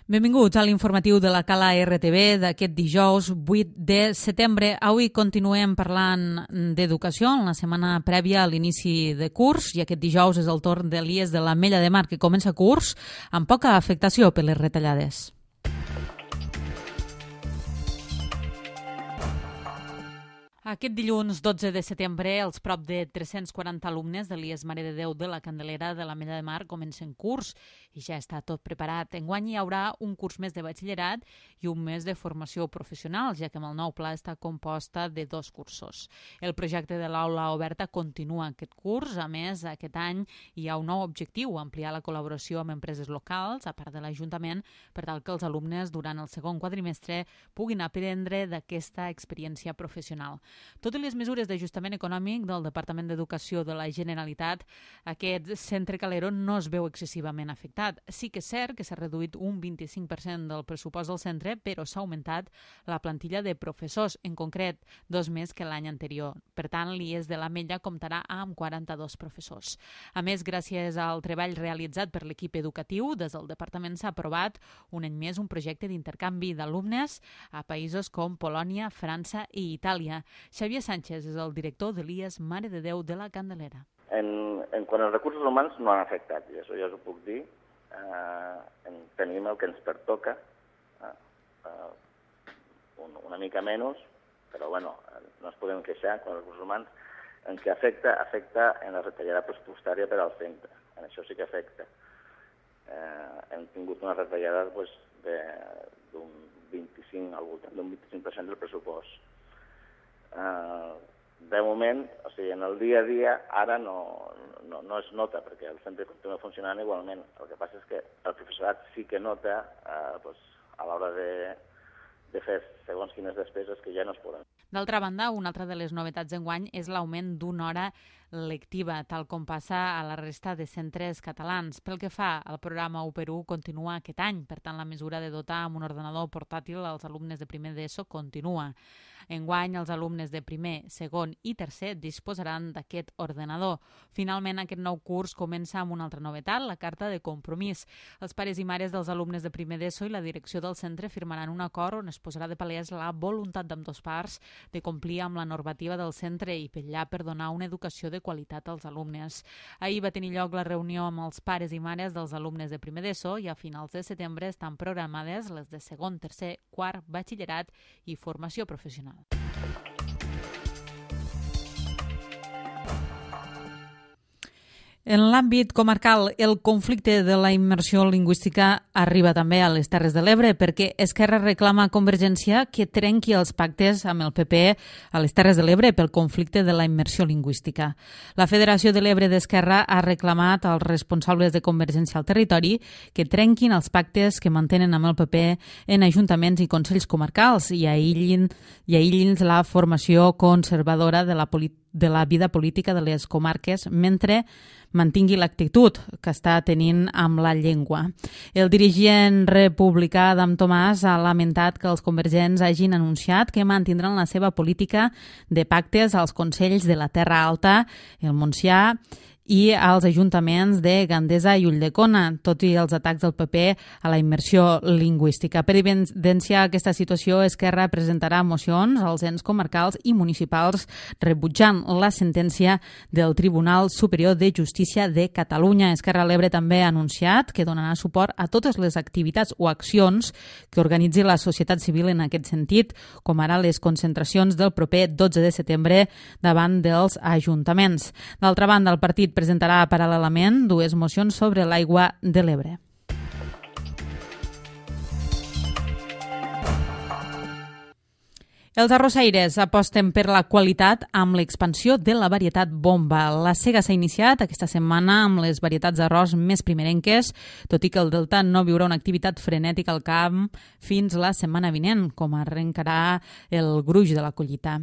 Benvinguts a l'informatiu de la Cala RTV d'aquest dijous 8 de setembre. Avui continuem parlant d'educació en la setmana prèvia a l'inici de curs i aquest dijous és el torn d'Elies de l'Ametlla de Mar, que comença curs amb poca afectació per les retallades. Aquest dilluns 12 de setembre, els prop de 340 alumnes de l'IES Mare de Déu de la Candelera de l'Ametlla de Mar comencen curs i ja està tot preparat. Enguany hi haurà un curs més de batxillerat i un mes de formació professional, ja que amb el nou pla està composta de 2 cursos. El projecte de l'aula oberta continua aquest curs. A més, aquest any hi ha un nou objectiu, ampliar la col·laboració amb empreses locals, a part de l'Ajuntament, per tal que els alumnes durant el segon quadrimestre puguin aprendre d'aquesta experiència professional. Tot i les mesures d'ajustament econòmic del Departament d'Educació de la Generalitat, aquest centre Calero no es veu excessivament afectat. Sí que és cert que s'ha reduït un 25% del pressupost del centre, però s'ha augmentat la plantilla de professors, en concret 2 més que l'any anterior. Per tant, l'IES de l'Ametlla comptarà amb 42 professors. A més, gràcies al treball realitzat per l'equip educatiu, des del Departament s'ha aprovat un any més un projecte d'intercanvi d'alumnes a països com Polònia, França i Itàlia. Xavier Sánchez és el director de l'IES Mare de Déu de la Candelera. En quant als recursos humans no han afectat, i això ja us ho puc dir. Tenim el que ens pertoca, una mica menys, però bueno, no ens podem queixar quan els recursos humans. En què afecta en la retallada pressupostària per al centre. En això sí que afecta. Hem tingut una retallada d'un 25%, al voltant d'un 25% del pressupost. De moment, o sigui, en el dia a dia, ara no es nota, perquè el centre continua funcionant igualment. El que passa és que el professorat sí que nota a l'hora de fer segons quines despeses que ja no es poden. D'altra banda, una altra de les novetats d'enguany és l'augment d'una hora lectiva, tal com passa a la resta de centres catalans. Pel que fa al programa 1x1, continua aquest any. Per tant, la mesura de dotar amb un ordenador portàtil als alumnes de primer d'ESO continua. Enguany, els alumnes de primer, segon i tercer disposaran d'aquest ordenador. Finalment, aquest nou curs comença amb una altra novetat, la carta de compromís. Els pares i mares dels alumnes de primer d'ESO i la direcció del centre firmaran un acord on es posarà de palès la voluntat d'ambdós parts de complir amb la normativa del centre i vetllar per donar una educació de qualitat als alumnes. Ahir va tenir lloc la reunió amb els pares i mares dels alumnes de primer d'ESO i a finals de setembre estan programades les de segon, tercer, quart, batxillerat i formació professional. En l'àmbit comarcal, el conflicte de la immersió lingüística arriba també a les Terres de l'Ebre perquè Esquerra reclama a Convergència que trenqui els pactes amb el PP a les Terres de l'Ebre pel conflicte de la immersió lingüística. La Federació de l'Ebre d'Esquerra ha reclamat als responsables de Convergència al territori que trenquin els pactes que mantenen amb el PP en ajuntaments i consells comarcals i aïllin la formació conservadora de la vida política de les comarques mentre mantingui l'actitud que està tenint amb la llengua. El dirigent republicà Adam Tomàs ha lamentat que els convergents hagin anunciat que mantindran la seva política de pactes als consells de la Terra Alta, el Montsià i als ajuntaments de Gandesa i Ulldecona, tot i els atacs del PP a la immersió lingüística. Per evidenciar aquesta situació, Esquerra presentarà mocions als ens comarcals i municipals rebutjant la sentència del Tribunal Superior de Justícia de Catalunya. Esquerra a l'Ebre també ha anunciat que donarà suport a totes les activitats o accions que organitzi la societat civil en aquest sentit, com ara les concentracions del proper 12 de setembre davant dels ajuntaments. D'altra banda, el partit presentarà paral·lelament 2 mocions sobre l'aigua de l'Ebre. Els arrossaires aposten per la qualitat amb l'expansió de la varietat bomba. La sega s'ha iniciat aquesta setmana amb les varietats d'arròs més primerenques, tot i que el Delta no viurà una activitat frenètica al camp fins la setmana vinent, com arrencarà el gruix de la collita.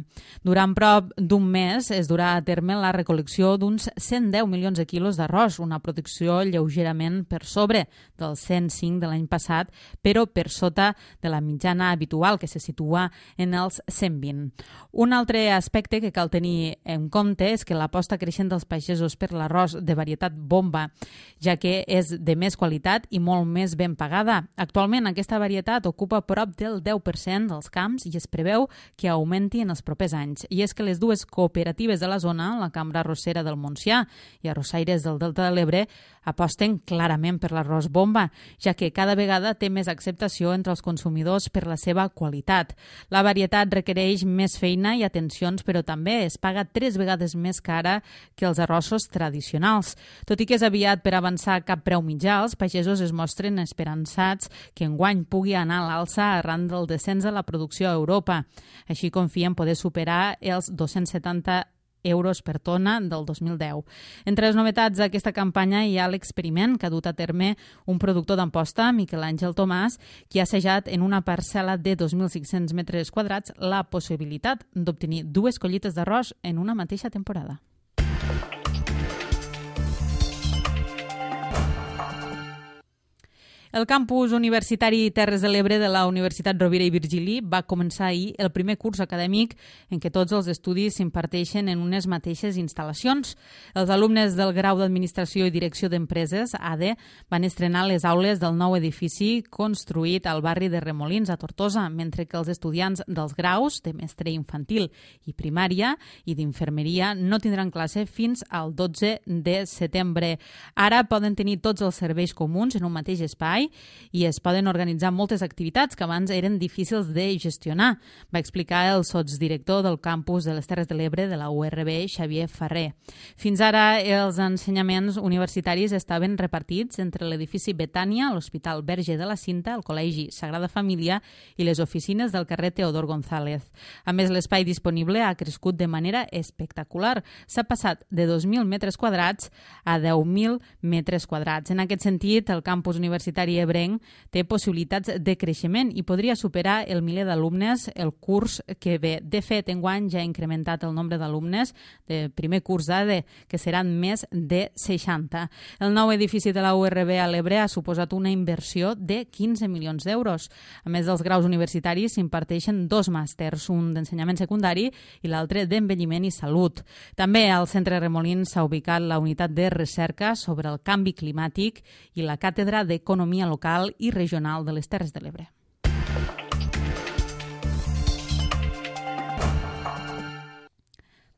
Durant prop d'un mes es durà a terme la recol·lecció d'uns 110 milions de quilos d'arròs, una producció lleugerament per sobre dels 105 de l'any passat, però per sota de la mitjana habitual, que se situa en els 120. Un altre aspecte que cal tenir en compte és que l'aposta creixent dels pagesos per l'arròs de varietat bomba, ja que és de més qualitat i molt més ben pagada. Actualment aquesta varietat ocupa prop del 10% dels camps i es preveu que augmenti en els propers anys. I és que les dues cooperatives de la zona, la Cambra Arrossera del Montsià i Arrossaires del Delta de l'Ebre, aposten clarament per l'arròs bomba, ja que cada vegada té més acceptació entre els consumidors per la seva qualitat. La varietat requereix més feina i atencions, però també es paga 3 vegades més cara que els arrossos tradicionals. Tot i que és aviat per avançar cap preu mitjà, els pagesos es mostren esperançats que enguany pugui anar a l'alça arran del descens de la producció a Europa. Així confien poder superar els 270 euros per tona del 2010. Entre les novetats d'aquesta campanya hi ha l'experiment que ha dut a terme un productor d'Amposta, Miquel Àngel Tomàs, qui ha assajat en una parcel·la de 2.500 metres quadrats la possibilitat d'obtenir 2 collites d'arròs en una mateixa temporada. El campus universitari Terres de l'Ebre de la Universitat Rovira i Virgili va començar ahir el primer curs acadèmic en què tots els estudis s'imparteixen en unes mateixes instal·lacions. Els alumnes del grau d'Administració i Direcció d'Empreses, ADE, van estrenar les aules del nou edifici construït al barri de Remolins, a Tortosa, mentre que els estudiants dels graus de mestre infantil i primària i d'infermeria no tindran classe fins al 12 de setembre. Ara poden tenir tots els serveis comuns en un mateix espai i es poden organitzar moltes activitats que abans eren difícils de gestionar, va explicar el sotsdirector del campus de les Terres de l'Ebre de la URB, Xavier Ferrer. Fins ara, els ensenyaments universitaris estaven repartits entre l'edifici Betània, l'Hospital Verge de la Cinta, el Col·legi Sagrada Família i les oficines del carrer Teodor González. A més, l'espai disponible ha crescut de manera espectacular. S'ha passat de 2.000 metres quadrats a 10.000 metres quadrats. En aquest sentit, el campus universitari ebrenc té possibilitats de creixement i podria superar el miler d'alumnes el curs que ve. De fet, enguany ja ha incrementat el nombre d'alumnes de primer curs d'ADE, que seran més de 60. El nou edifici de la URB a l'Ebre ha suposat una inversió de 15 milions d'euros. A més dels graus universitaris, s'imparteixen 2 màsters, un d'ensenyament secundari i l'altre d'envelliment i salut. També al Centre Remolins s'ha ubicat la unitat de recerca sobre el canvi climàtic i la càtedra d'Economia local i regional de les Terres de l'Ebre.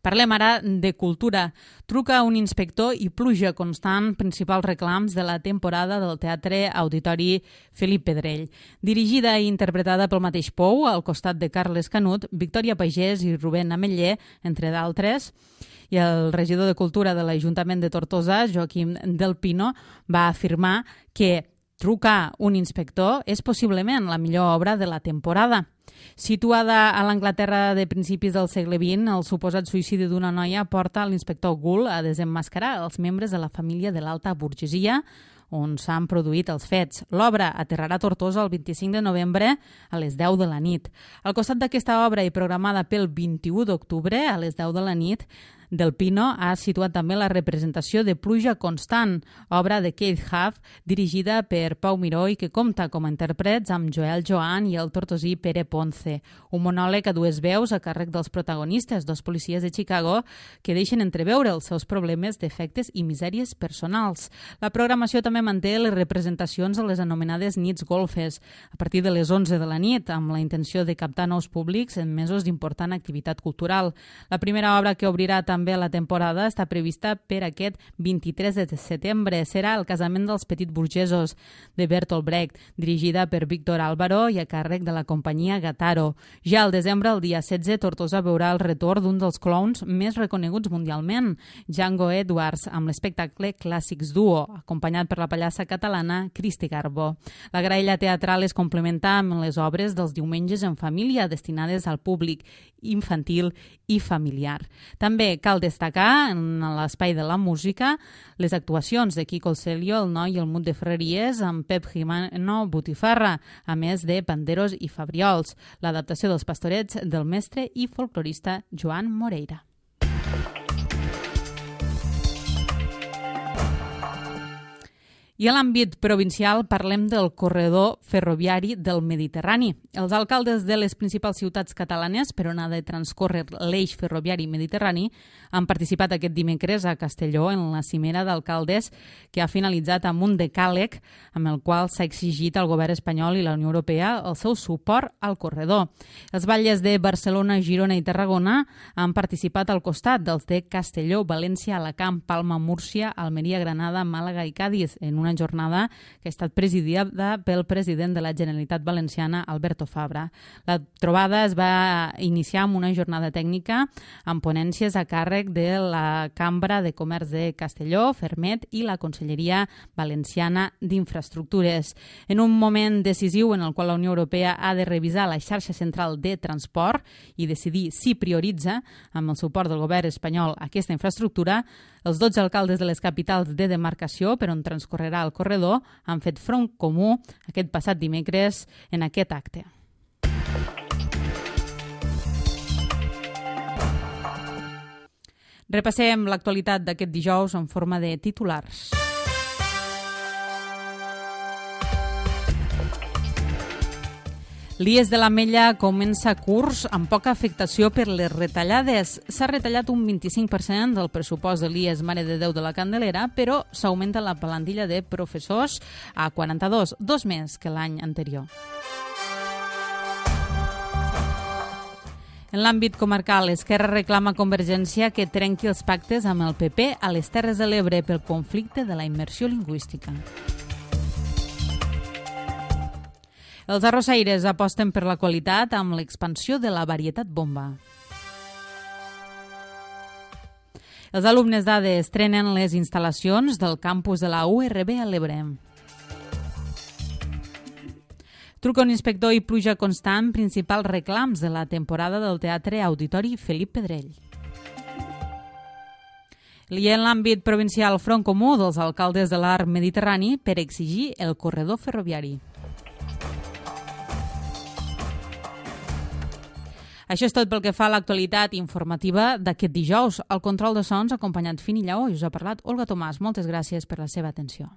Parlem ara de cultura. Truca un inspector i pluja constant, principals reclams de la temporada del Teatre Auditori Felip Pedrell. Dirigida i interpretada pel mateix Pou, al costat de Carles Canut, Victòria Pagès i Rubén Ametller, entre d'altres, i el regidor de Cultura de l'Ajuntament de Tortosa, Joaquim Del Pino, va afirmar que trucar un inspector és possiblement la millor obra de la temporada. Situada a l'Anglaterra de principis del segle XX, el suposat suïcidi d'una noia porta l'inspector Gould a desemmascarar els membres de la família de l'alta burgesia on s'han produït els fets. L'obra aterrarà a Tortosa el 25 de novembre a les 10 de la nit. Al costat d'aquesta obra i programada pel 21 d'octubre a les 10 de la nit, Del Pino ha situat també la representació de Pluja Constant, obra de Keith Huff, dirigida per Pau Miró i que compta com a intèrprets amb Joel Joan i el tortosí Pere Ponce. Un monòleg a 2 veus a càrrec dels protagonistes, 2 policies de Chicago, que deixen entreveure els seus problemes, defectes i misèries personals. La programació també manté les representacions a les anomenades nits golfes, a partir de les 11 de la nit, amb la intenció de captar nous públics en mesos d'important activitat cultural. La primera obra que obrirà també la temporada està prevista per aquest 23 de setembre. Serà El casament dels petits burgesos, de Bertolt Brecht, dirigida per Víctor Álvaro i a càrrec de la companyia Gataro. Ja al desembre, el dia 16, Tortosa veurà el retorn d'un dels clowns més reconeguts mundialment, Django Edwards, amb l'espectacle Clàssics Duo, acompanyat per la pallassa catalana Cristi Garbo. La graella teatral es complementa amb les obres dels diumenges en família, destinades al públic infantil i familiar. També cal destacar en l'espai de la música les actuacions de Quico el Celio, el Noi i el Mut de Ferreries amb Pep Jimeno Botifarra, a més de panderos i fabriols, l'adaptació dels Pastorets del mestre i folclorista Joan Moreira. I a l'àmbit provincial parlem del corredor ferroviari del Mediterrani. Els alcaldes de les principals ciutats catalanes per on ha de transcórrer l'eix ferroviari mediterrani han participat aquest dimecres a Castelló en la cimera d'alcaldes que ha finalitzat amb un decàleg amb el qual s'ha exigit al govern espanyol i la Unió Europea el seu suport al corredor. Els batlles de Barcelona, Girona i Tarragona han participat al costat dels de Castelló, València, Alacant, Palma, Múrcia, Almeria, Granada, Màlaga i Càdiz en una jornada que ha estat presidida pel president de la Generalitat Valenciana, Alberto Fabra. La trobada es va iniciar amb una jornada tècnica amb ponències a càrrec de la Cambra de Comerç de Castelló, Fermet i la Conselleria Valenciana d'Infraestructures. En un moment decisiu en el qual la Unió Europea ha de revisar la xarxa central de transport i decidir si prioritza, amb el suport del govern espanyol, aquesta infraestructura, els 12 alcaldes de les capitals de demarcació per on transcorrerà el corredor han fet front comú aquest passat dimecres en aquest acte. Repassem l'actualitat d'aquest dijous en forma de titulars. L'IES de l'Ametlla comença curs amb poca afectació per les retallades. S'ha retallat un 25% del pressupost de l'IES Mare de Déu de la Candelera, però s'augmenta la plantilla de professors a 42, 2 més que l'any anterior. En l'àmbit comarcal, Esquerra reclama a Convergència que trenqui els pactes amb el PP a les Terres de l'Ebre pel conflicte de la immersió lingüística. Els arrossaires aposten per la qualitat amb l'expansió de la varietat bomba. Els alumnes d'ADE estrenen les instal·lacions del campus de la URB a l'Ebre. Truca un inspector i pluja constant, principals reclams de la temporada del Teatre Auditori Felip Pedrell. I en l'àmbit provincial, front comú dels alcaldes de l'arc mediterrani per exigir el corredor ferroviari. Això és tot pel que fa a l'actualitat informativa d'aquest dijous. El control de sons acompanyat Fini Lleó i us ha parlat Olga Tomàs. Moltes gràcies per la seva atenció.